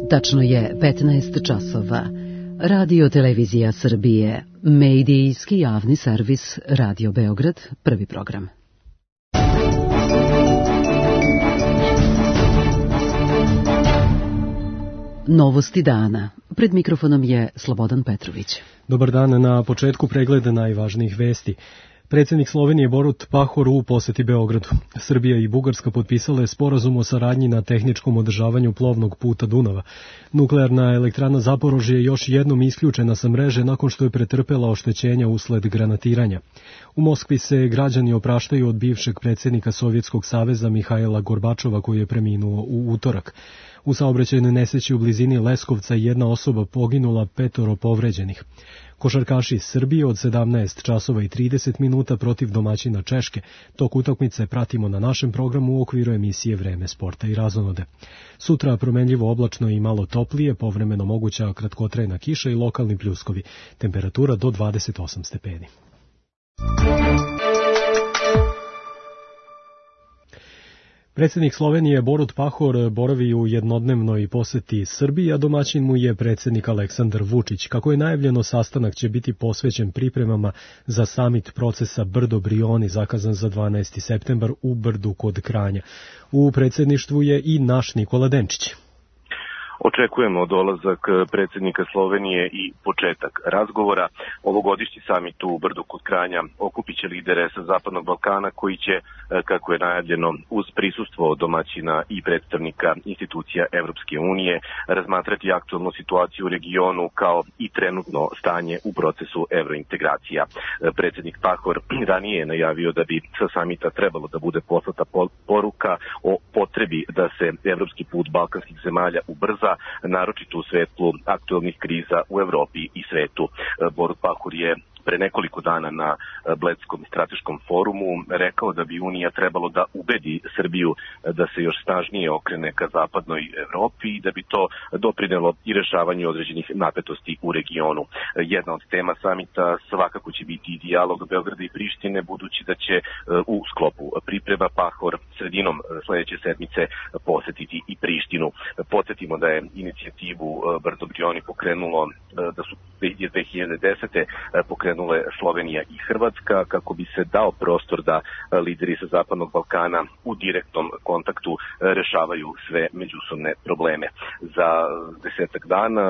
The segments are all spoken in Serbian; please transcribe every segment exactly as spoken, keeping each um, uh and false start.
Tačno je petnaest časova. Radio Televizija Srbije, medijski javni servis Radio Beograd, prvi program. Novosti dana. Pred mikrofonom je Slobodan Petrović. Dobar dan, na početku pregleda najvažnijih vesti. Predsjednik Slovenije Borut Pahor u poseti Beogradu. Srbija i Bugarska potpisale sporazum o saradnji na tehničkom održavanju plovnog puta Dunava. Nuklearna elektrana Zaporožje je još jednom isključena sa mreže nakon što je pretrpela oštećenja usled granatiranja. U Moskvi se građani opraštaju od bivšeg predsjednika Sovjetskog saveza Mihajla Gorbačova koji je preminuo u utorak. U saobraćajnoj nesreći u blizini Leskovca jedna osoba poginula, petoro povređenih. Košarkaši Srbije od sedamnaest časova i trideset minuta protiv domaćina Češke. Tok utakmice pratimo na našem programu u okviru emisije Vreme sporta i razonode. Sutra promenljivo oblačno i malo toplije, povremeno moguća kratkotrajna kiša i lokalni pljuskovi. Temperatura do dvadeset osam stepeni. Predsjednik Slovenije Borut Pahor boravi u jednodnevnoj poseti Srbiji, a domaćin mu je predsjednik Aleksandar Vučić. Kako je najavljeno, sastanak će biti posvećen pripremama za samit procesa Brdo-Brioni, zakazan za dvanaesti septembar u Brdu kod Kranja. U predsjedništvu je i naš Nikola Denčić. Očekujemo dolazak predsjednika Slovenije i početak razgovora. Ovogodišnji samit u Brdu kod Kranja okupit će lidere sa Zapadnog Balkana koji će, kako je najavljeno, uz prisustvo domaćina i predstavnika institucija Evropske unije razmatrati aktualnu situaciju u regionu kao i trenutno stanje u procesu evrointegracija. Predsjednik Pahor ranije je najavio da bi sa samita trebalo da bude poslata poruka o potrebi da se evropski put balkanskih zemalja ubrza, naročito u svetlu aktualnih kriza u Evropi i svetu. Borut Pahor je pre nekoliko dana na Bledskom strateškom forumu rekao da bi Unija trebalo da ubedi Srbiju da se još snažnije okrene ka zapadnoj Evropi i da bi to doprinelo i rešavanju određenih napetosti u regionu. Jedna od tema samita svakako će biti i dijalog Beograda i Prištine, budući da će u sklopu priprema Pahor sredinom sledeće sedmice posetiti i Prištinu. Podsjetimo da je inicijativu Brdo-Brioni pokrenulo, da su dve hiljade desete pokrenule Slovenija i Hrvatska kako bi se dao prostor da lideri sa Zapadnog Balkana u direktnom kontaktu rešavaju sve međusobne probleme. Za desetak dana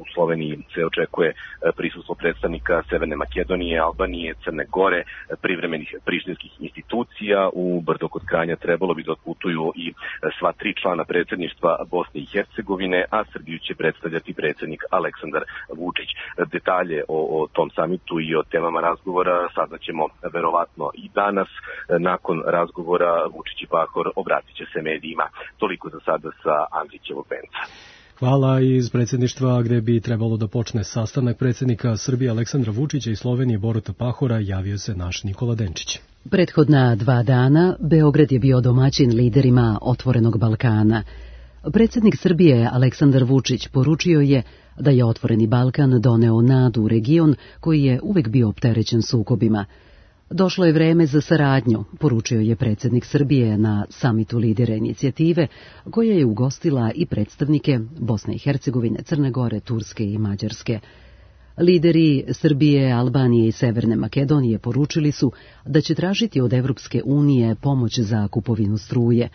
u Sloveniji se očekuje prisustvo predstavnika Severne Makedonije, Albanije, Crne Gore, privremenih prištinskih institucija. U Brdo kod Kranja trebalo bi da otputuju i sva tri člana predsjedništva Bosne i Hercegovine, a Srbiju će predstavljati predsjednik Aleksandar Vučić. Detalje o, o tom samitu i o temama razgovora saznaćemo verovatno i danas. Nakon razgovora Vučić i Pahor obratit će se medijima. Toliko za sada sa Andrićevog venca. Hvala. Iz predsjedništva gdje bi trebalo da počne sastanak predsjednika Srbije Aleksandra Vučića i Slovenije Boruta Pahora javio se naš Nikola Denčić. Prethodna dva dana Beograd je bio domaćin liderima Otvorenog Balkana. Predsjednik Srbije Aleksandar Vučić poručio je da je Otvoreni Balkan doneo nadu u region koji je uvek bio opterećen sukobima. Došlo je vreme za saradnju, poručio je predsjednik Srbije na samitu lidera inicijative, koja je ugostila i predstavnike Bosne i Hercegovine, Crne Gore, Turske i Mađarske. Lideri Srbije, Albanije i Severne Makedonije poručili su da će tražiti od Evropske unije pomoć za kupovinu struje.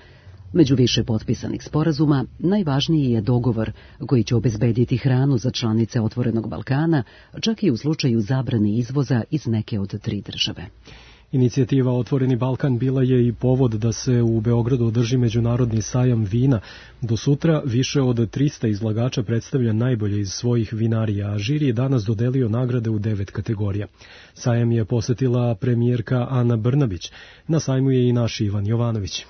Među više potpisanih sporazuma, najvažniji je dogovor koji će obezbediti hranu za članice Otvorenog Balkana, čak i u slučaju zabrane izvoza iz neke od tri države. Inicijativa Otvoreni Balkan bila je i povod da se u Beogradu održi međunarodni sajam vina. Do sutra više od trista izlagača predstavlja najbolje iz svojih vinarija, a žiri je danas dodelio nagrade u devet kategorija. Sajam je posetila premijerka Ana Brnabić. Na sajmu je i naš Ivan Jovanović.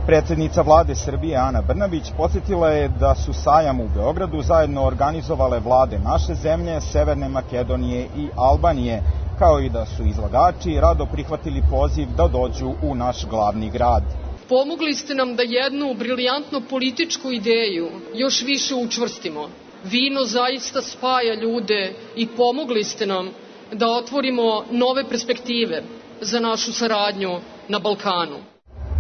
Predsjednica vlade Srbije Ana Brnabić podsjetila je da su sajam u Beogradu zajedno organizovale vlade naše zemlje, Severne Makedonije i Albanije, kao i da su izlagači rado prihvatili poziv da dođu u naš glavni grad. Pomogli ste nam da jednu briljantnu političku ideju još više učvrstimo. Vino zaista spaja ljude i pomogli ste nam da otvorimo nove perspektive za našu saradnju na Balkanu.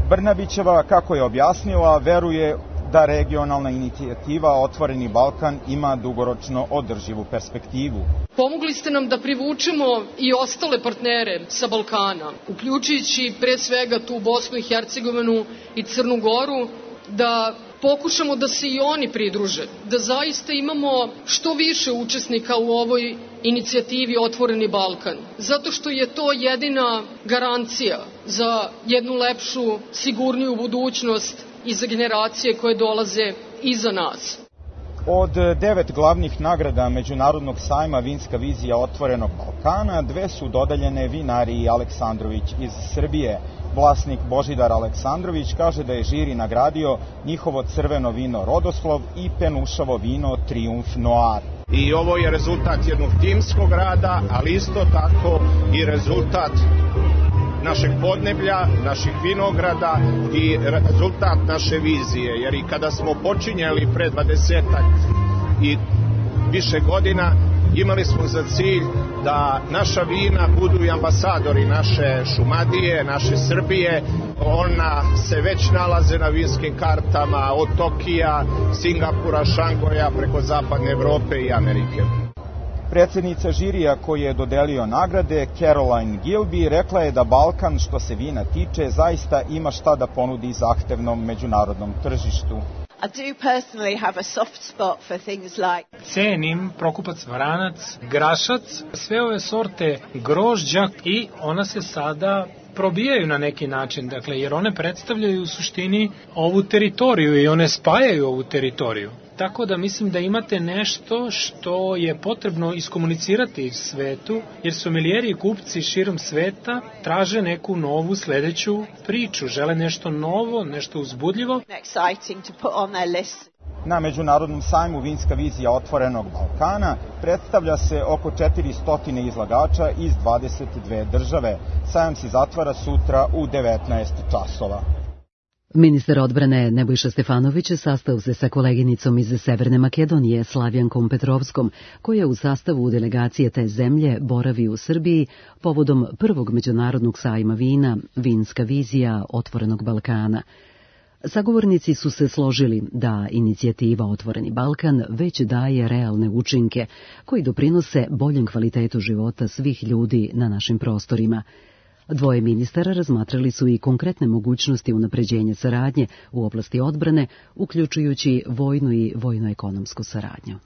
Brnabićeva, kako je objasnila, veruje da regionalna inicijativa Otvoreni Balkan ima dugoročno održivu perspektivu. Pomogli ste nam da privučemo i ostale partnere sa Balkana, uključujući pre svega tu Bosnu i Hercegovinu i Crnu Goru, da pokušamo da se i oni pridruže, da zaista imamo što više učesnika u ovoj inicijativi Otvoreni Balkan, zato što je to jedina garancija za jednu lepšu, sigurniju budućnost i za generacije koje dolaze iza nas. Od devet glavnih nagrada Međunarodnog sajma Vinska vizija Otvorenog Balkana, dve su dodeljene vinariji Aleksandrović iz Srbije. Vlasnik Božidar Aleksandrović kaže da je žiri nagradio njihovo crveno vino Rodoslov i penušavo vino Triumf Noir. I ovo je rezultat jednog timskog rada, ali isto tako i rezultat našeg podneblja, naših vinograda i rezultat naše vizije. Jer i kada smo počinjali pre dvadesetak i više godina, imali smo za cilj da naša vina budu i ambasadori naše Šumadije, naše Srbije. Ona se već nalaze na vinskim kartama od Tokija, Singapura, Šangoja, preko zapadne Evrope i Amerike. Predsjednica žirija koji je dodelio nagrade, Caroline Gilby, rekla je da Balkan, što se vina tiče, zaista ima šta da ponudi zahtevnom međunarodnom tržištu. I do personally have a soft spot for things like cenim Prokupac Vranac, Grašac, sve ove sorte grožđa i ona se sada probijaju na neki način, dakle, jer one predstavljaju u suštini ovu teritoriju i one spajaju ovu teritoriju. Tako da mislim da imate nešto što je potrebno iskomunicirati svetu, jer sommelieri i kupci širom sveta traže neku novu sledeću priču, žele nešto novo, nešto uzbudljivo. Na Međunarodnom sajmu Vinska vizija Otvorenog Balkana predstavlja se oko četiristo izlagača iz dvadeset dve države. Sajam se zatvara sutra u devetnaest časova. Ministar odbrane Nebojša Stefanović sastao se sa koleginicom iz Severne Makedonije, Slavjankom Petrovskom, koja u sastavu delegacije te zemlje boravi u Srbiji povodom prvog međunarodnog sajma vina Vinska vizija Otvorenog Balkana. Sagovornici su se složili da inicijativa Otvoreni Balkan već daje realne učinke koji doprinose boljem kvalitetu života svih ljudi na našim prostorima. Dvoje ministara razmatrali su i konkretne mogućnosti unapređenja saradnje u oblasti odbrane, uključujući vojnu i vojno-ekonomsku saradnju.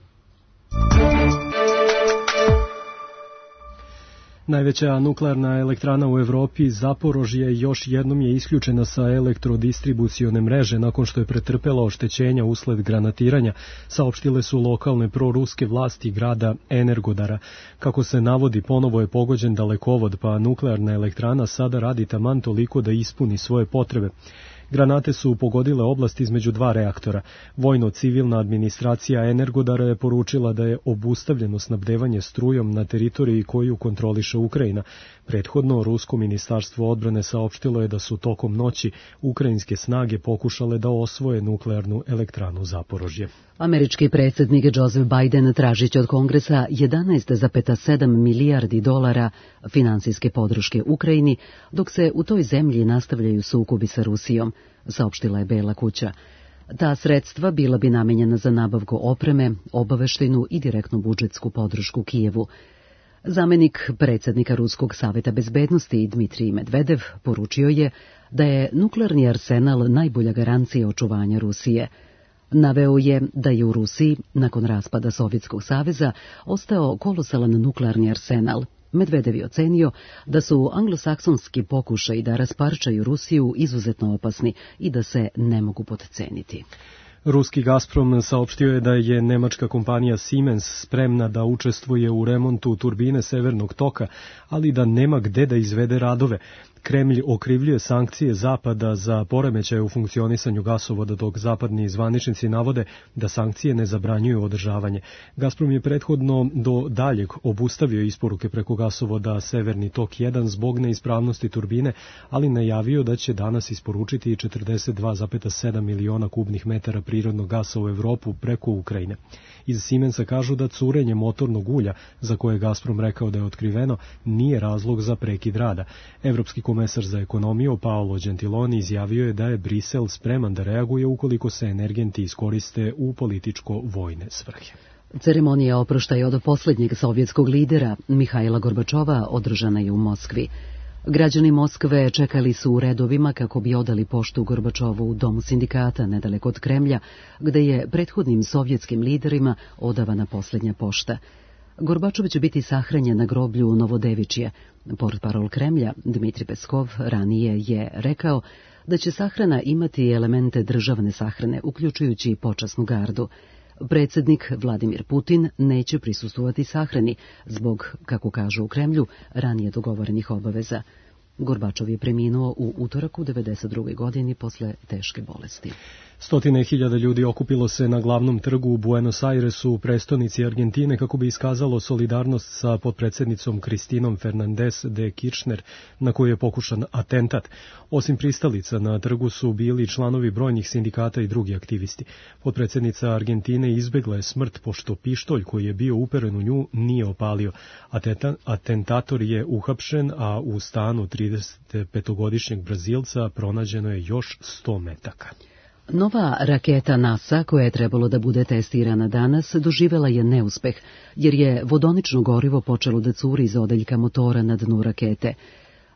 Najveća nuklearna elektrana u Evropi, Zaporožje, još jednom je isključena sa elektrodistribucione mreže nakon što je pretrpela oštećenja usled granatiranja, saopštile su lokalne proruske vlasti grada Energodara. Kako se navodi, ponovo je pogođen dalekovod, pa nuklearna elektrana sada radi taman toliko da ispuni svoje potrebe. Granate su pogodile oblast između dva reaktora. Vojno-civilna administracija Energodara je poručila da je obustavljeno snabdevanje strujom na teritoriji koju kontroliše Ukrajina. Prethodno, Rusko ministarstvo odbrane saopštilo je da su tokom noći ukrajinske snage pokušale da osvoje nuklearnu elektranu Zaporožje. Američki predsjednik Joseph Biden tražit će od Kongresa jedanaest zarez sedam milijardi dolara finansijske podrške Ukrajini, dok se u toj zemlji nastavljaju sukobi sa Rusijom, saopštila je Bela kuća. Ta sredstva bila bi namenjena za nabavku opreme, obaveštajnu i direktnu budžetsku podršku Kijevu. Zamenik predsjednika Ruskog saveta bezbednosti Dmitrij Medvedev poručio je da je nuklearni arsenal najbolja garancija očuvanja Rusije. Naveo je da je u Rusiji, nakon raspada Sovjetskog saveza, ostao kolosalan nuklearni arsenal. Medvedev je ocenio da su anglosaksonski pokušaji da rasparčaju Rusiju izuzetno opasni i da se ne mogu potceniti. Ruski Gazprom saopštio je da je nemačka kompanija Siemens spremna da učestvuje u remontu turbine Severnog toka, ali da nema gde da izvede radove. Kremlj okrivljuje sankcije Zapada za poremećaje u funkcionisanju gasovoda, dok zapadni zvaničnici navode da sankcije ne zabranjuju održavanje. Gazprom je prethodno do daljeg obustavio isporuke preko gasovoda Severni tok jedan zbog neispravnosti turbine, ali najavio da će danas isporučiti četrdeset dva zarez sedam miliona kubnih metara prirodnog gasa u Evropu preko Ukrajine. Iz Siemensa kažu da curenje motornog ulja, za koje je Gazprom rekao da je otkriveno, nije razlog za prekid rada. Evropski komesar za ekonomiju Paolo Gentiloni izjavio je da je Brisel spreman da reaguje ukoliko se energenti iskoriste u političko-vojne svrhe. Ceremonija oproštaja od posljednjeg sovjetskog lidera Mihajla Gorbačova održana je u Moskvi. Građani Moskve čekali su u redovima kako bi odali poštu Gorbačovu u domu sindikata nedaleko od Kremlja, gde je prethodnim sovjetskim liderima odavana posljednja pošta. Gorbačov će biti sahranjen na groblju u Novodevičje. Portparol Kremlja Dmitri Peskov ranije je rekao da će sahrana imati elemente državne sahrane, uključujući počasnu gardu. Predsjednik Vladimir Putin neće prisustvovati sahrani zbog, kako kažu u Kremlju, ranije dogovorenih obaveza. Gorbačov je preminuo u utorak u devedeset drugoj godini posle teške bolesti. Stotine hiljada ljudi okupilo se na glavnom trgu u Buenos Airesu u prestonici Argentine kako bi iskazalo solidarnost sa potpredsjednicom Kristinom Fernandez de Kirchner, na koju je pokušan atentat. Osim pristalica na trgu su bili članovi brojnih sindikata i drugi aktivisti. Potpredsjednica Argentine izbegla je smrt pošto pištolj koji je bio uperen u nju nije opalio. Atentator je uhapšen, a u stanu tridesetpetogodišnjeg Brazilca pronađeno je još sto metaka. Nova raketa NASA, koja je trebalo da bude testirana danas, doživela je neuspeh, jer je vodonično gorivo počelo da curi iz odeljka motora na dnu rakete.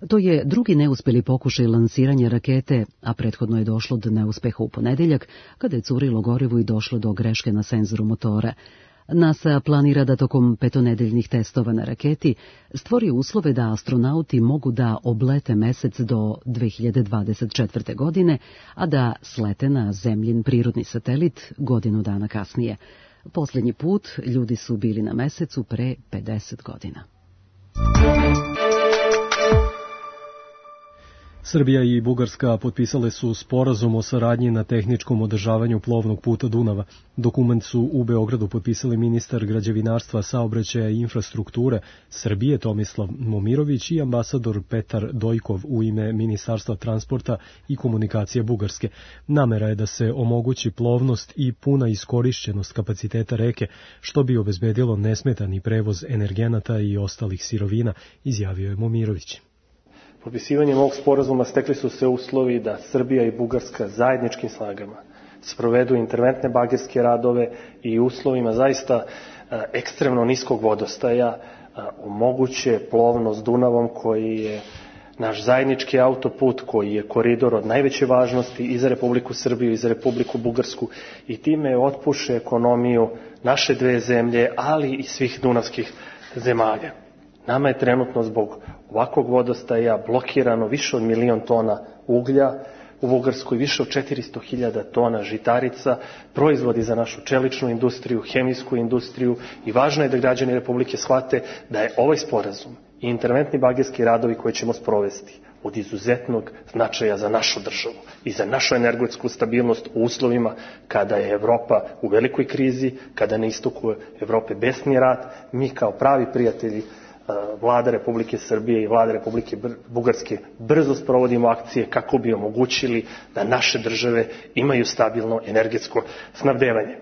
To je drugi neuspeli pokušaj lansiranja rakete, a prethodno je došlo do neuspeha u ponedeljak, kada je curilo gorivo i došlo do greške na senzoru motora. NASA planira da tokom petonedeljnih testova na raketi stvori uslove da astronauti mogu da oblete mesec do dve hiljade dvadeset četvrte. godine, a da slete na zemljin prirodni satelit godinu dana kasnije. Posljednji put ljudi su bili na mesecu pre pedeset godina. Srbija i Bugarska potpisale su sporazum o saradnji na tehničkom održavanju plovnog puta Dunava. Dokument su u Beogradu potpisali ministar građevinarstva, saobraćaja i infrastrukture Srbije Tomislav Momirović i ambasador Petar Dojkov u ime Ministarstva transporta i komunikacije Bugarske. Namera je da se omogući plovnost i puna iskorišćenost kapaciteta reke, što bi obezbedilo nesmetani prevoz energenata i ostalih sirovina, izjavio je Momirović. Potpisivanjem ovog sporazuma stekli su se uslovi da Srbija i Bugarska zajedničkim snagama sprovedu interventne bagerske radove i uslovima zaista ekstremno niskog vodostaja omoguće plovnost Dunavom, koji je naš zajednički autoput, koji je koridor od najveće važnosti i za Republiku Srbiju i za Republiku Bugarsku, i time otpuše ekonomiju naše dve zemlje, ali i svih dunavskih zemalja. Nama je trenutno zbog ovakvog vodostaja blokirano više od milion tona uglja, u Bugarskoj više od četiristo hiljada tona žitarica, proizvodi za našu čeličnu industriju, hemijsku industriju, i važno je da građani Republike shvate da je ovaj sporazum i interventni bagerski radovi koje ćemo sprovesti od izuzetnog značaja za našu državu i za našu energetsku stabilnost u uslovima kada je Evropa u velikoj krizi, kada na istoku Evrope besni rat. Mi kao pravi prijatelji Vlada Republike Srbije i Vlada Republike Bugarske brzo sprovodimo akcije kako bi omogućili da naše države imaju stabilno energetsko snabdevanje.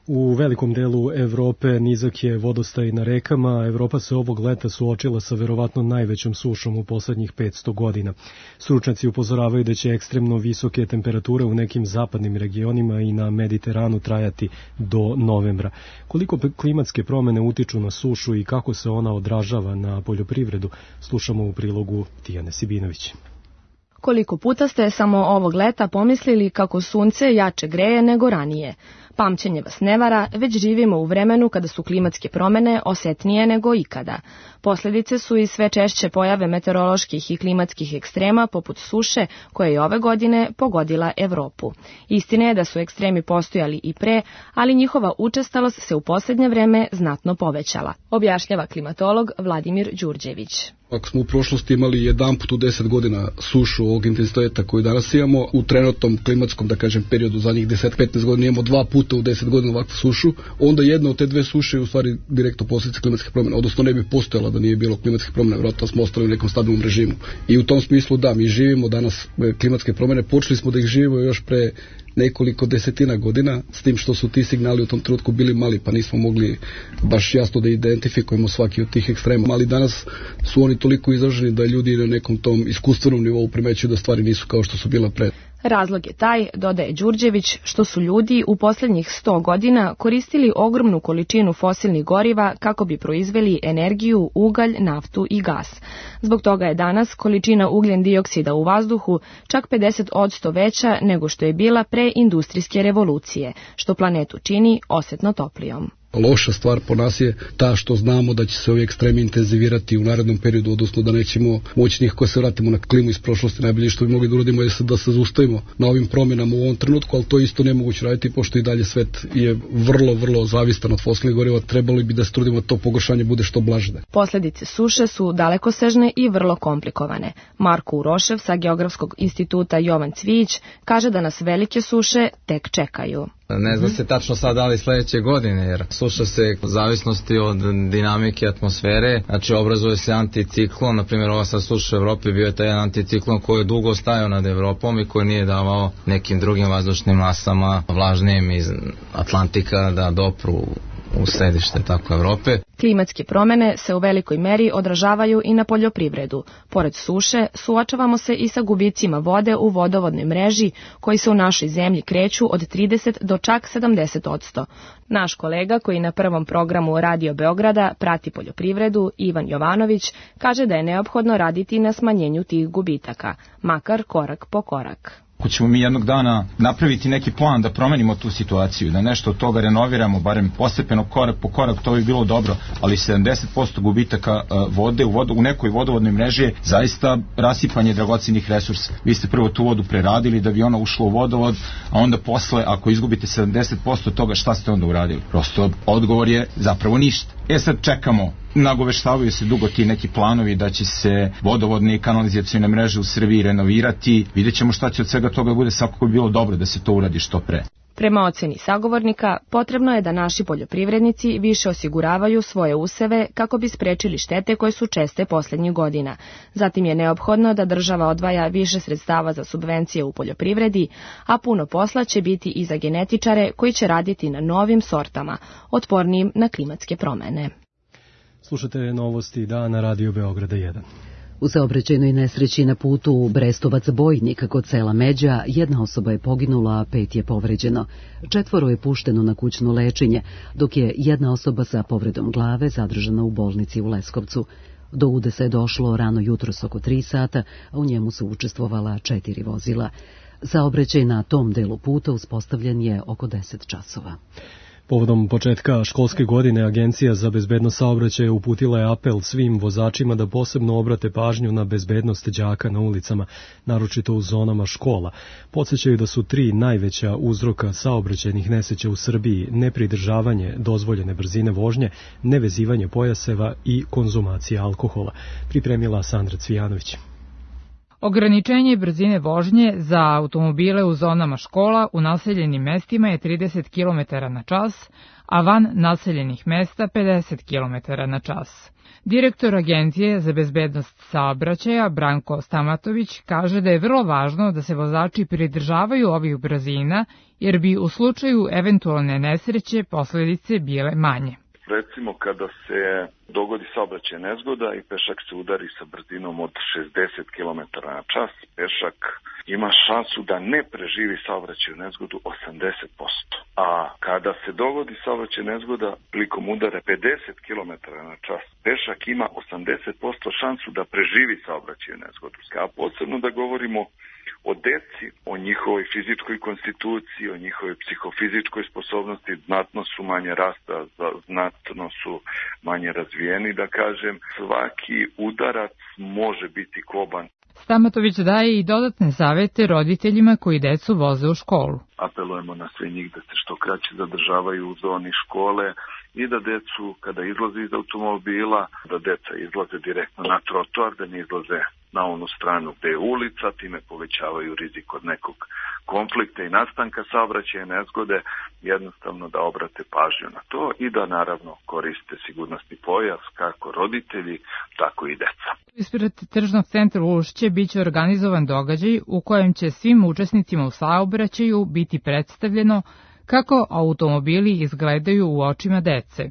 U velikom delu Evrope nizak je vodostaj na rekama. Evropa se ovog leta suočila sa verovatno najvećom sušom u poslednjih petsto godina. Stručnjaci upozoravaju da će ekstremno visoke temperature u nekim zapadnim regionima i na Mediteranu trajati do novembra. Koliko klimatske promene utiču na sušu i kako se ona odražava na poljoprivredu, slušamo u prilogu Tijane Sibinović. Koliko puta ste samo ovog leta pomislili kako sunce jače greje nego ranije? Pamćenje vas ne vara, već živimo u vremenu kada su klimatske promene osetnije nego ikada. Posljedice su i sve češće pojave meteoroloških i klimatskih ekstrema poput suše koja je ove godine pogodila Evropu. Istina je da su ekstremi postojali i pre, ali njihova učestalost se u posljednje vreme znatno povećala, objašnjava klimatolog Vladimir Đurđević. Ako smo u prošlosti imali jedan put u deset godina sušu ovog intenziteta koju danas imamo, u trenutnom klimatskom, da kažem, periodu zadnjih deset do petnaest godina imamo dva puta u deset godina ovakvu sušu, onda jedna od te dve suše je u stvari direktno posljedica klimatskih promjena, odnosno ne bi postojala da nije bilo klimatskih promjena, vjerojatno smo ostali u nekom stabilnom režimu. I u tom smislu da, mi živimo danas klimatske promjene, počeli smo da ih živimo još pre nekoliko desetina godina, s tim što su ti signali u tom trenutku bili mali, pa nismo mogli baš jasno da identifikujemo svaki od tih ekstrema. Ali danas su oni toliko izraženi da ljudi na nekom tom iskustvenom nivou primećuju da stvari nisu kao što su bila pre. Razlog je taj, dodaje Đurđević, što su ljudi u posljednjih sto godina koristili ogromnu količinu fosilnih goriva kako bi proizveli energiju, ugalj, naftu i gas. Zbog toga je danas količina ugljen dioksida u vazduhu čak pedeset posto veća nego što je bila pre industrijske revolucije, što planetu čini osjetno toplijom. Loša stvar po nas je ta što znamo da će se ovi ekstremi intenzivirati u narednom periodu, odnosno da nećemo moći nikako se vratimo na klimu iz prošlosti. Najbolje što bi mogli da uradimo je da se zaustavimo na ovim promjenama u ovom trenutku, ali to isto nemoguće raditi pošto i dalje svet je vrlo, vrlo zavistan od fosilnih goriva. Trebalo bi da se trudimo da to pogoršanje bude što blaže. Posljedice suše su dalekosežne i vrlo komplikovane. Marko Urošev sa Geografskog instituta Jovan Cvijić kaže da nas velike suše tek čekaju. Ne zna se tačno sad da li sledeće godine, jer suša se u zavisnosti od dinamike atmosfere, znači obrazuje se anticiklon, na primjer ova sad suša u Evropi bio je taj anticiklon koji je dugo stajao nad Evropom i koji nije davao nekim drugim vazdušnim masama vlažnijim iz Atlantika da dopru u središte tako Evrope. Klimatske promjene se u velikoj meri odražavaju i na poljoprivredu. Pored suše, suočavamo se i sa gubicima vode u vodovodnoj mreži, koji se u našoj zemlji kreću od trideset do čak sedamdeset posto. Naš kolega koji na prvom programu Radio Beograda prati poljoprivredu, Ivan Jovanović, kaže da je neophodno raditi na smanjenju tih gubitaka, makar korak po korak. Ako ćemo mi jednog dana napraviti neki plan da promenimo tu situaciju, da nešto od toga renoviramo, barem postepeno korak po korak, to bi bilo dobro, ali sedamdeset posto gubitaka vode u, vodu, u nekoj vodovodnoj mreži je zaista rasipanje dragocenih resursa. Vi ste prvo tu vodu preradili da bi ona ušla u vodovod, a onda posle, ako izgubite sedamdeset posto toga, šta ste onda uradili? Prosto odgovor je zapravo ništa. E sad čekamo, nagoveštavaju se dugo ti neki planovi da će se vodovodne i kanalizacione mreže u Srbiji renovirati. Vidjet ćemo šta će od svega toga bude, svakako bi bilo dobro da se to uradi što pre. Prema oceni sagovornika, potrebno je da naši poljoprivrednici više osiguravaju svoje useve kako bi sprečili štete koje su česte posljednjih godina. Zatim je neophodno da država odvaja više sredstava za subvencije u poljoprivredi, a puno posla će biti i za genetičare koji će raditi na novim sortama, otpornijim na klimatske promjene. Slušate novosti dana Radio Beograda jedan. U saobraćajnoj nesreći na putu Brestovac-Bojnik kod sela Međa jedna osoba je poginula, a pet je povređeno. Četvoro je pušteno na kućno lečenje, dok je jedna osoba sa povredom glave zadržana u bolnici u Leskovcu. Do udesa je došlo rano jutros oko tri sata, a u njemu su učestvovala četiri vozila. Saobraćaj na tom delu puta uspostavljen je oko deset časova. Povodom početka školske godine Agencija za bezbednost saobraćaja uputila je apel svim vozačima da posebno obrate pažnju na bezbednost đaka na ulicama, naročito u zonama škola. Podsećaju da su tri najveća uzroka saobraćajnih nesreća u Srbiji: nepridržavanje dozvoljene brzine vožnje, nevezivanje pojaseva i konzumacija alkohola. Pripremila Sandra Cvijanović. Ograničenje brzine vožnje za automobile u zonama škola u naseljenim mestima je trideset kilometara na čas, a van naseljenih mesta pedeset kilometara na čas. Direktor Agencije za bezbednost saobraćaja Branko Stamatović kaže da je vrlo važno da se vozači pridržavaju ovih brzina, jer bi u slučaju eventualne nesreće posljedice bile manje. Recimo kada se dogodi saobraćajna nezgoda i pešak se udari sa brzinom od šezdeset kilometara na čas, pešak ima šansu da ne preživi saobraćajnu nezgodu osamdeset posto. A kada se dogodi saobraćajna nezgoda prilikom udara pedeset kilometara na čas, pešak ima osamdeset posto šansu da preživi saobraćajnu nezgodu. A posebno da govorimo o deci, o njihovoj fizičkoj konstituciji, o njihovoj psihofizičkoj sposobnosti, znatno su manje rasta, znatno su manje razvijeni, da kažem. Svaki udarac može biti koban. Stamatović daje i dodatne savete roditeljima koji decu voze u školu. Apelujemo na sve njih da se što kraće zadržavaju u zoni škole i da decu, kada izlaze iz automobila, da deca izlaze direktno na trotoar, da ne izlaze na onu stranu gde je ulica, time povećavaju rizik od nekog konflikta i nastanka saobraćajne nezgode, jednostavno da obrate pažnju na to i da naravno koriste sigurnosni pojas kako roditelji, tako i deca. Ispred tržnog centra Ušće biće organizovan događaj u kojem će svim učesnicima u saobraćaju biti predstavljeno kako automobili izgledaju u očima dece.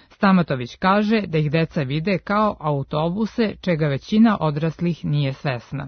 Stamatović kaže da ih deca vide kao autobuse, čega većina odraslih nije svesna.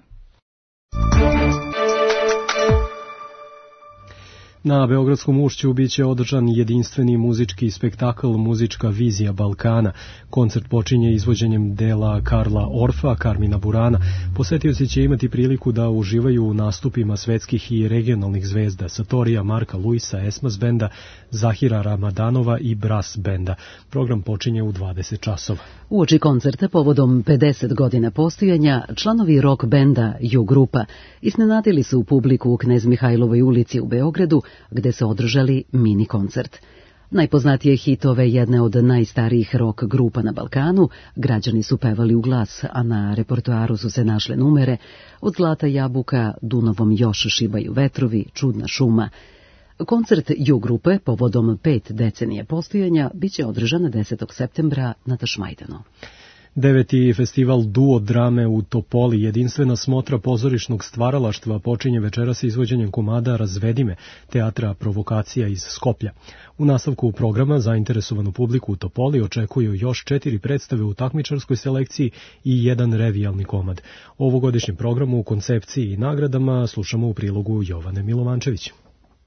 Na Beogradskom Ušću biće održan jedinstveni muzički spektakl Muzička vizija Balkana. Koncert počinje izvođenjem dela Karla Orfa, Karmina Burana. Posetioci će imati priliku da uživaju u nastupima svetskih i regionalnih zvezda Satorija, Marka Luisa, Esmas benda, Zahira Ramadanova i Brass benda. Program počinje u dvadeset časova. Uoči koncerta povodom pedeset godina postojanja, članovi rock benda Ju grupa iznenadili su publiku u Knez Mihajlovoj ulici u Beogradu, gde se održali mini koncert. Najpoznatije hitove jedne od najstarijih rock grupa na Balkanu građani su pevali u glas, a na repertoaru su se našle numere od Zlata jabuka, Dunavom još šibaju vetrovi, Čudna šuma. Koncert Ju grupe povodom pet decenije postojanja biće održan desetog septembra na Tašmajdanu. Deveti festival duo drame u Topoli, jedinstvena smotra pozorišnog stvaralaštva, počinje večeras izvođenjem komada Razvedime, teatra Provokacija iz Skoplja. U nastavku programa zainteresovanu publiku u Topoli očekuju još četiri predstave u takmičarskoj selekciji i jedan revijalni komad. O ovogodišnjem programu, koncepciji i nagradama slušamo u prilogu Jovane Milovančević.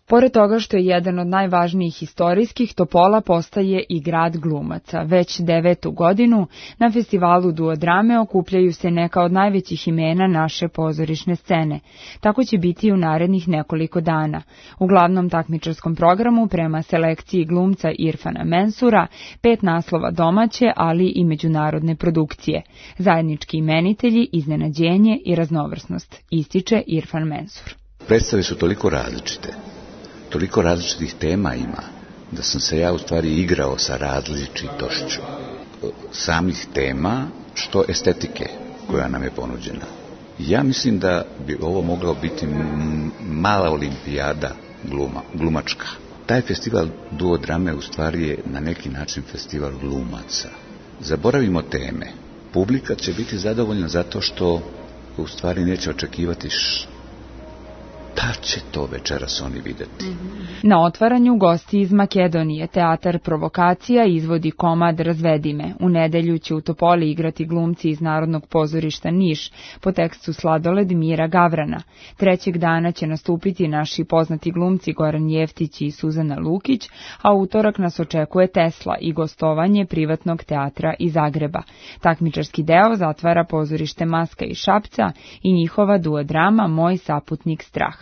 Pored toga što je jedan od najvažnijih istorijskih, Topola postaje i grad glumaca. Već devetu godinu na festivalu duo drame okupljaju se neka od najvećih imena naše pozorišne scene. Tako će biti i u narednih nekoliko dana. U glavnom takmičarskom programu prema selekciji glumca Irfana Mensura, pet naslova domaće, ali i međunarodne produkcije. Zajednički imenitelji, iznenađenje i raznovrsnost, ističe Irfan Mensur. Predstave su toliko različite. Toliko različitih tema ima, da sam se ja u stvari igrao sa različitošću samih tema, što estetike koja nam je ponuđena. Ja mislim da bi ovo moglo biti mala olimpijada gluma, glumačka. Taj festival duo drame u stvari je na neki način festival glumaca. Zaboravimo teme. Publika će biti zadovoljna zato što u stvari neće očekivati što da će to večeras oni videti. Na otvaranju gosti iz Makedonije, teatar Provokacija izvodi komad Razvedime. U nedelju će u Topoli igrati glumci iz Narodnog pozorišta Niš po tekstu Sladoled Mira Gavrana. Trećeg dana će nastupiti naši poznati glumci Goran Jeftić i Suzana Lukić, a utorak nas očekuje Tesla i gostovanje privatnog teatra iz Zagreba. Takmičarski deo zatvara pozorište Maska iz Šapca i njihova duo drama Moj saputnik strah.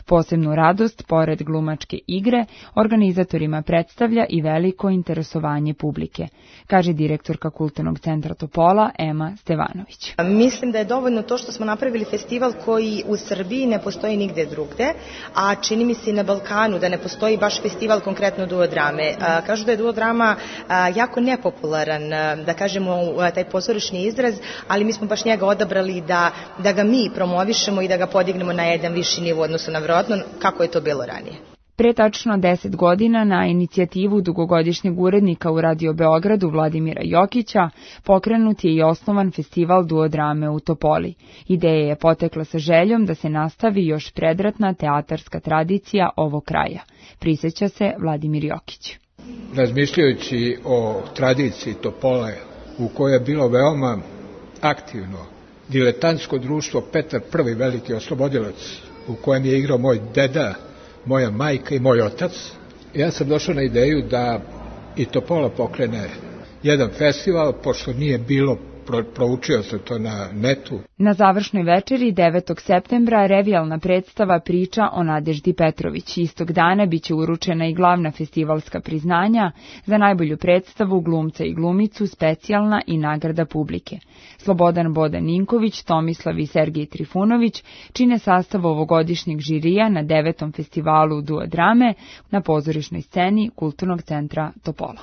Posebnu radost, pored glumačke igre, organizatorima predstavlja i veliko interesovanje publike, kaže direktorka Kulturnog centra Topola Ema Stevanović. Mislim da je dovoljno to što smo napravili festival koji u Srbiji ne postoji nigde drugde, a čini mi se i na Balkanu da ne postoji baš festival konkretno duo drame. Kažu da je duo drama jako nepopularan, da kažemo taj pozorišni izraz, ali mi smo baš njega odabrali da, da ga mi promovišemo i da ga podignemo na jedan viši nivo odnosu na vjerojatno kako je to bilo ranije. Pre tačno deset godina na inicijativu dugogodišnjeg urednika u Radio Beogradu Vladimira Jokića pokrenut je i osnovan festival duo drame u Topoli. Ideja je potekla sa željom da se nastavi još predratna teatarska tradicija ovog kraja. Prisjeća se Vladimir Jokić. Razmišljajući o tradiciji Topole u kojoj je bilo veoma aktivno diletantsko društvo Petar Prvi veliki oslobodilac, u kojem je igrao moj deda, moja majka i moj otac, ja sam došao na ideju da i Topola pokrene jedan festival, pošto nije bilo, pro, proučio sam to na netu. Na završnoj večeri devetog septembra revijalna predstava Priča o Nadeždi Petrović. Istog dana biće uručena i glavna festivalska priznanja za najbolju predstavu, glumca i glumicu, specijalna i nagrada publike. Slobodan Boda Ninković, Tomislav i Sergej Trifunović čine sastav ovogodišnjeg žirija na devetom festivalu duo drame na pozorišnoj sceni Kulturnog centra Topola.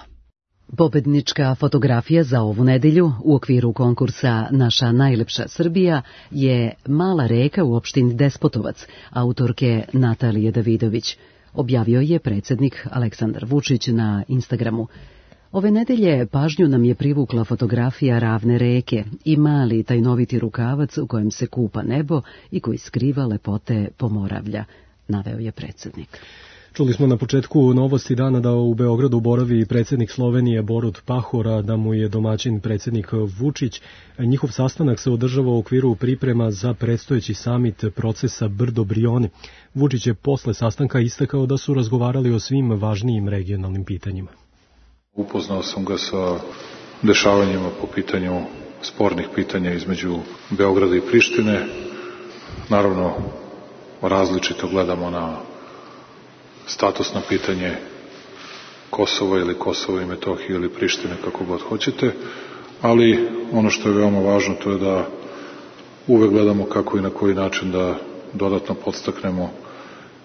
Pobednička fotografija za ovu nedelju u okviru konkursa Naša najlepša Srbija je Mala reka u opštini Despotovac, autorke Natalije Davidović. objavio je predsjednik Aleksandar Vučić na Instagramu. Ove nedelje pažnju nam je privukla fotografija ravne reke i mali tajnoviti rukavac u kojem se kupa nebo i koji skriva lepote Pomoravlja, naveo je predsjednik. Čuli smo na početku novosti dana da u Beogradu boravi predsjednik Slovenije Borut Pahor, a da mu je domaćin predsjednik Vučić. Njihov sastanak se održava u okviru priprema za predstojeći samit procesa Brdo-Brioni. Vučić je posle sastanka istakao da su razgovarali o svim važnijim regionalnim pitanjima. Upoznao sam ga sa dešavanjima po pitanju spornih pitanja između Beograda i Prištine. Naravno, različito gledamo na statusno pitanje Kosova ili Kosova i Metohije ili Prištine, kako god hoćete, ali ono što je veoma važno to je da uvek gledamo kako i na koji način da dodatno podstaknemo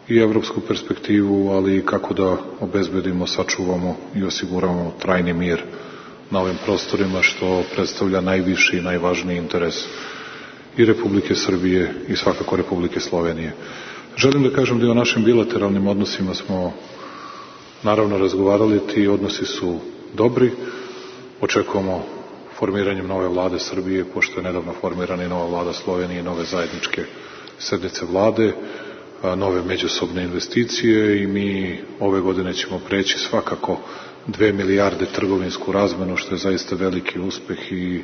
i evropsku perspektivu, ali i kako da obezbedimo, sačuvamo i osiguramo trajni mir na ovim prostorima, što predstavlja najviši i najvažniji interes i Republike Srbije i svakako Republike Slovenije. Želim da kažem da i o našim bilateralnim odnosima smo naravno razgovarali, ti odnosi su dobri, očekujemo formiranjem nove vlade Srbije, pošto je nedavno formirana i nova vlada Slovenije i nove zajedničke sednice vlade, nove međusobne investicije i mi ove godine ćemo preći svakako dve milijarde trgovinsku razmenu, što je zaista veliki uspeh i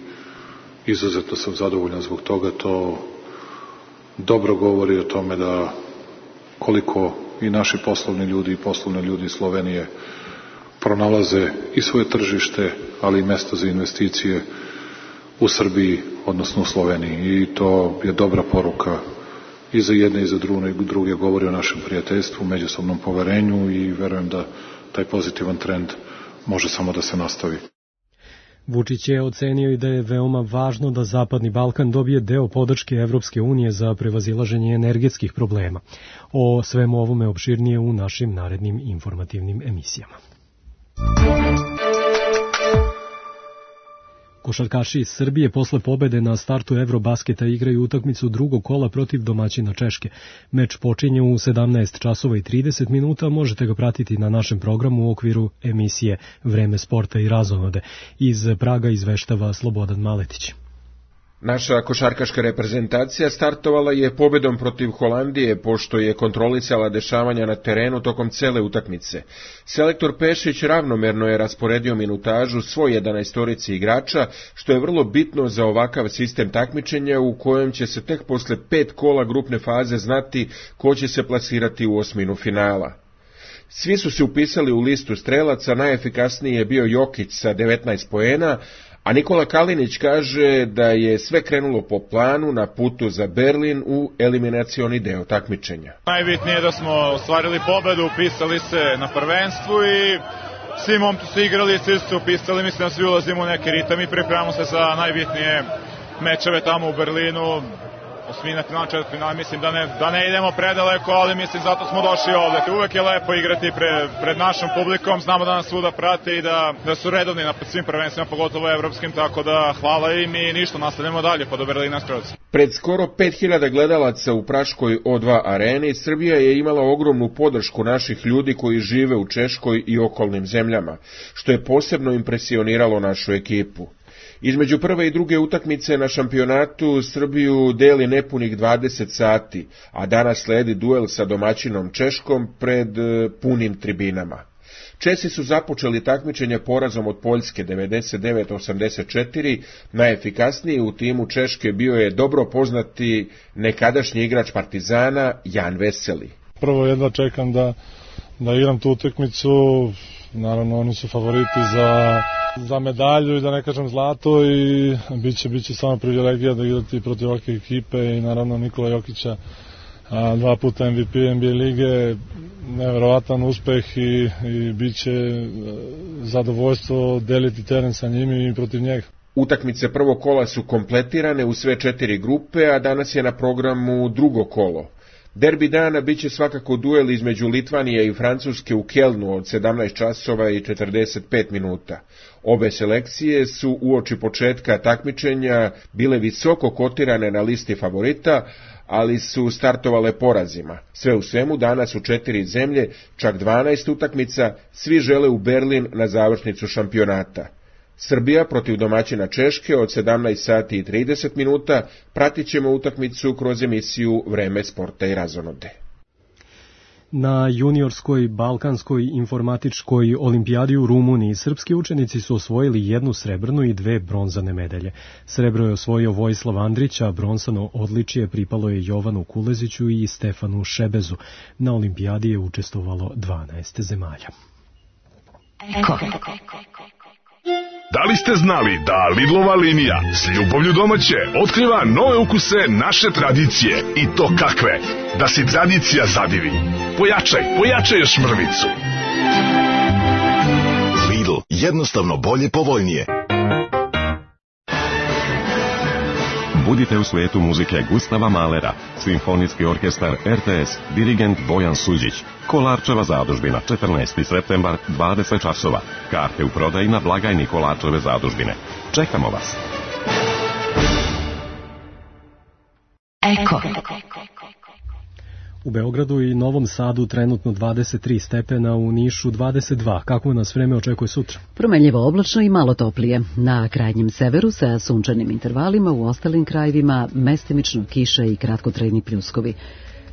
izuzetno sam zadovoljan zbog toga. To dobro govori o tome da koliko i naši poslovni ljudi i poslovni ljudi iz Slovenije pronalaze i svoje tržište, ali i mesto za investicije u Srbiji, odnosno u Sloveniji. I to je dobra poruka i za jedne i za druge, govori o našem prijateljstvu, međusobnom poverenju i verujem da taj pozitivan trend može samo da se nastavi. Vučić je ocenio i da je veoma važno da Zapadni Balkan dobije deo podrške Evropske unije za prevazilaženje energetskih problema. O svemu ovome opširnije u našim narednim informativnim emisijama. Košarkaši iz Srbije posle pobede na startu Eurobasketa igraju utakmicu drugog kola protiv domaćina Češke. Meč počinje u sedamnaest časova i trideset minuta, možete ga pratiti na našem programu u okviru emisije Vreme sporta i razonode. Iz Praga izveštava Slobodan Maletić. Naša košarkaška reprezentacija startovala je pobedom protiv Holandije, pošto je kontrolisala dešavanja na terenu tokom cele utakmice. Selektor Pešić ravnomerno je rasporedio minutažu svoj jedanaestorici igrača, što je vrlo bitno za ovakav sistem takmičenja u kojem će se tek posle pet kola grupne faze znati ko će se plasirati u osminu finala. Svi su se upisali u listu strelaca, najefikasniji je bio Jokić sa devetnaest poena, a Nikola Kalinić kaže da je sve krenulo po planu na putu za Berlin u eliminacioni deo takmičenja. Najbitnije je da smo ostvarili pobedu, upisali se na prvenstvu i svi momci su igrali, svi su se upisali, mislim da svi ulazimo u neki ritam i pripremamo se za najbitnije mečeve tamo u Berlinu. Osmina finala, četvrt finala, mislim da ne, da ne idemo predaleko, ali mislim zato smo došli ovde. Uvek je lepo igrati pre, pred našom publikom, znamo da nas svuda prate i da, da su redovni na svim prvenstvima, pogotovo evropskim, tako da hvala im i ništa, nastavljamo dalje po Berlina Stroci. Pred skoro pet hiljada gledalaca u praškoj O dva areni, Srbija je imala ogromnu podršku naših ljudi koji žive u Češkoj i okolnim zemljama, što je posebno impresioniralo našu ekipu. Između prve i druge utakmice na šampionatu Srbiju deli nepunih dvadeset sati, a danas sledi duel sa domaćinom Češkom pred punim tribinama. Česi su započeli takmičenje porazom od Poljske devedeset devet osamdeset četiri, najefikasniji u timu Češke bio je dobro poznati nekadašnji igrač Partizana Jan Veseli. Prvo jedva čekam da, da igram tu utakmicu, naravno oni su favoriti za... za medalju i da ne kažem zlato i biće, biće samo privilegija da igrati protiv ovakve ekipe i naravno Nikola Jokića, a, dva puta M V P N B A lige, neverovatan uspeh i, i biće zadovoljstvo deliti teren sa njim i protiv njega. Utakmice prvog kola su kompletirane u sve četiri grupe, a danas je na programu drugo kolo. Derbi dana biće svakako duel između Litvanije i Francuske u Kelnu od sedamnaest časova i četrdeset pet minuta. Obe selekcije su uoči početka takmičenja bile visoko kotirane na listi favorita, ali su startovale porazima. Sve u svemu danas u četiri zemlje, čak dvanaest utakmica, svi žele u Berlin na završnicu šampionata. Srbija protiv domaćina Češke od sedamnaest sati i trideset minuta, pratit ćemo utakmicu kroz emisiju Vreme sporta i razonode. Na juniorskoj balkanskoj informatičkoj olimpijadi u Rumuniji srpski učenici su osvojili jednu srebrnu i dve bronzane medalje. Srebro je osvojio Vojislav Andrić, a bronzano odličje pripalo je Jovanu Kuleziću i Stefanu Šebezu. Na olimpijadi je učestvovalo dvanaest zemalja. Eko. Da li ste znali da Lidlova linija s ljubavlju domaće otkriva nove ukuse naše tradicije? I to kakve? Da si tradicija zadivi. Pojačaj, pojačaj još mrvicu. Lidl, jednostavno bolje, povoljnije. Budite u svetu muzike Gustava Mahlera, Simfonijski orkestar R T S, dirigent Bojan Suđić, Kolarčeva zadužbina, četrnaesti septembar, dvadeset časova. Karte u prodaji na blagajni Kolarčeve zadužbine. Čekamo vas. Eko. U Beogradu i Novom Sadu trenutno dvadeset tri stepena, u Nišu dvadeset dva. Kako nas vreme očekuje sutra? Promenljivo oblačno i malo toplije. Na krajnjem severu sa sunčanim intervalima, u ostalim krajevima mestimično kiša i kratkotrajni pljuskovi.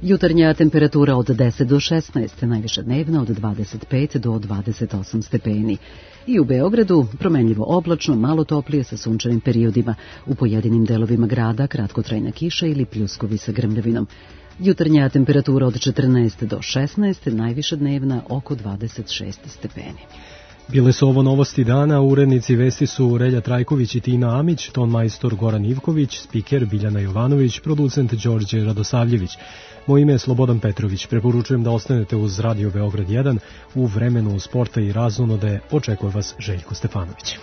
Jutarnja temperatura od deset do šesnaest, najviša dnevna od dvadeset pet do dvadeset osam stepeni. I u Beogradu promenljivo oblačno, malo toplije sa sunčanim periodima. U pojedinim delovima grada kratkotrajna kiša ili pljuskovi sa grmljavinom. Jutarnja temperatura od četrnaest do šesnaest, najviša dnevna oko dvadeset šest stepeni. Bile su ovo novosti dana, urednici vesti su Relja Trajković i Tina Amić, ton majstor Goran Ivković, spiker Biljana Jovanović, producent Đorđe Radosavljević. Moje ime je Slobodan Petrović, preporučujem da ostanete uz Radio Beograd jedan, u vremenu sporta i razonode očekuje vas Željko Stefanović.